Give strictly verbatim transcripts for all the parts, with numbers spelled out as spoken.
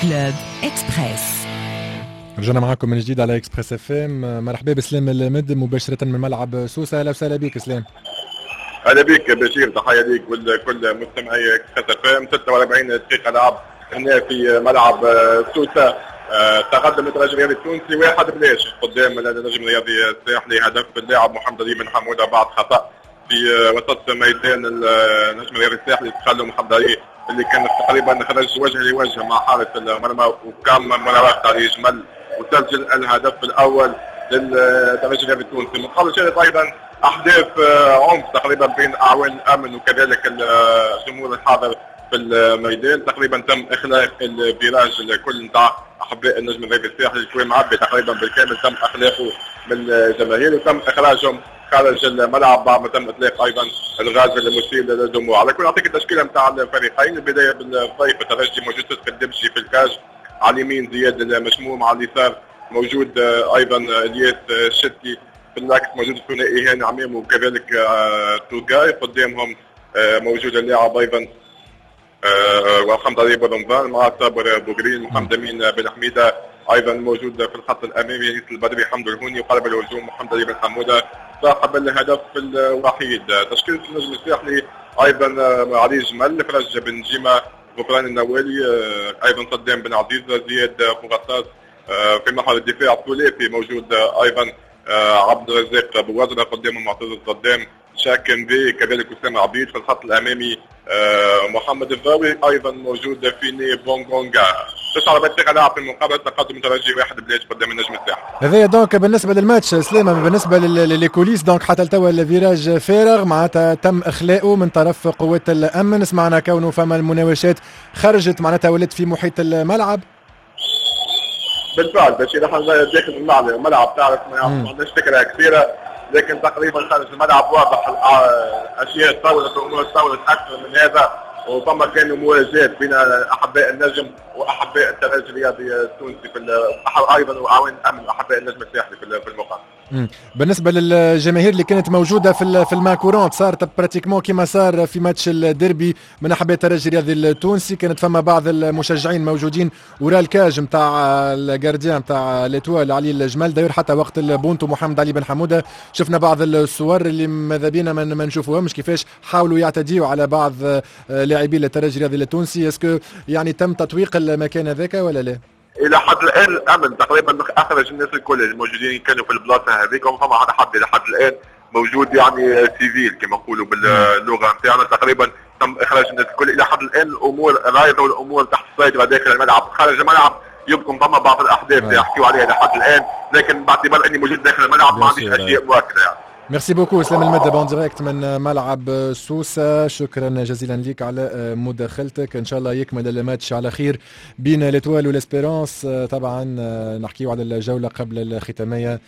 Club Express. رجعنا معكم من جديد على Express FM. مرحبا بسلام المد مباشرة من ملعب سوسه. اهلا وسهلا بك سلام. اهلا بك بشير، تحية ليك ولكل مستمعي Express FM. ستة وأربعين دقيقة لعب هنا في ملعب سوسه، آه، تقدم الترجي الرياضي التونسي واحد بلاش قدام النجم الرياضي الساحلي. هدف اللاعب محمد علي بن حموده بعد خطا في وسط ميدان النجم الرياضي الساحلي. دخل محمد علي اللي كان تقريبا خرج وجه لوجه مع حارس المرمى وقام مراوغة علي جمل وسجل الهدف الاول للترجي الرياضي التونسي. مقابل شهدت ايضا احداث عنف تقريبا بين اعوان الامن وكذلك الجمهور الحاضر في الميدان. تقريبا تم اخلاء ال virage الكل نتاع احباء النجم الرياضي الساحلي، اللي معبي تقريبا بالكامل، تم اخلاءه من الجماهير وتم اخراجهم خارج الملعب بعد ما تم اطلاق ايضا الغاز المسيل للدموع. على كل، اعطيك التشكيلة نتاع الفريقين. البداية بالضيف الترجي، موجود صدق الدمشي في ال cage، على اليمين زياد المشموم، على اليسار موجود ايضا الياس الشتي، في l'axe موجود الثنائي هاني عميم وكذلك آه، توغاي، قدامهم آه، موجود اللاعب ايضا آه، ومحمد علي بن مع صابر بوغرين، محمد امين بن حميده ايضا موجود في الخط الامامي، انيس البدري، حمد الهوني، وقلب الهجوم محمد علي بن حموده صاحب الهدف الوحيد. تشكيله النجم الساحلي ايضا علي جمل، فرج بن جيمه، غفران النوالي، ايضا صدام بن عزيز، زياد بوغطاس. في محور الدفاع الثلاثي موجود ايضا عبد الرزاق بوزرة، قدامه معتز الصدام، شاكن بي، كذلك اسامة عبيد. في الخط الامامي آه، محمد الضاوي، ايضا موجود فيني بونغونغا. تسعة وأربعين دقيقة لعب في المقابله، تقدم ترجي واحد بلاش قدام النجم الساحلي. هذايا donc بالنسبة للماتش سليمه. بالنسبة les coulisses، donc حتى لتوا ال virage فارغ، معناتها تم اخلاؤه من طرف قوات الامن. سمعنا كونه فما المناوشات خرجت، معناتها ولات في محيط الملعب. بالفعل بشير، احنا داخل الملعب تعرف ما عندناش فكرة كثيره، لكن تقريبا خارج الملعب واضح الاشياء تطورت والامور تطورت اكثر من هذا، وفما كانوا مواجهات بين احباء النجم واحباء الترجي الرياضي التونسي في ايضا واعوان الامن واحباء النجم الساحلي في المقابل. بالنسبة للجماهير اللي كانت موجودة في في ال main courante، صارت pratiquement كما صار في ماتش الديربي من احباء الترجي الرياضي التونسي، كانت فما بعض المشجعين موجودين وراء ال cage نتاع ال gardien نتاع l'Étoile علي الجمل. d'ailleurs حتى وقت البونتو محمد علي بن حموده شفنا بعض الصور اللي ماذا بينا ما نشوفوهمش، كيفاش حاولوا يعتديوا على بعض لاعبي الترجي الرياضي التونسي. est-ce que يعني تم تطويق المكان هذاك ولا لا؟ الى حد الان الامن تقريبا اخرج الناس الكل الموجودين كانوا في البلاصة هذيك، وما فما حد الى حد الان موجود يعني civil كما نقولوا باللغة نتاعنا. تقريبا تم اخراج الناس الكل. الى حد الان الامور رايضه والامور تحت السيطرة داخل الملعب. خارج الملعب يمكن فما بعض الاحداث اللي يحكيوا عليها لحد الان، لكن باعتبار اني موجود داخل الملعب ما عنديش اشياء مؤكدة يعني. merci beaucoup اسلام المدب en direct من ملعب سوسة، شكرا جزيلا لك على مداخلتك. ان شاء الله يكمل الماتش على خير بين l'Étoile و l'Espérance. طبعا نحكيو على الجولة قبل الختامية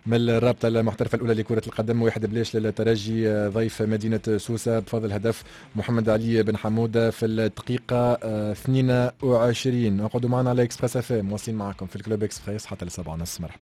من الرابطة المحترفة الأولى لكرة القدم، واحد بلاش للترجي ضيف مدينة سوسة بفضل هدف محمد علي بن حمودة في الدقيقة اثنين وعشرين. اقعدوا معنا على Express FM، مواصلين معكم في ال Club Express حتى لسبعة ونص. مرحبا.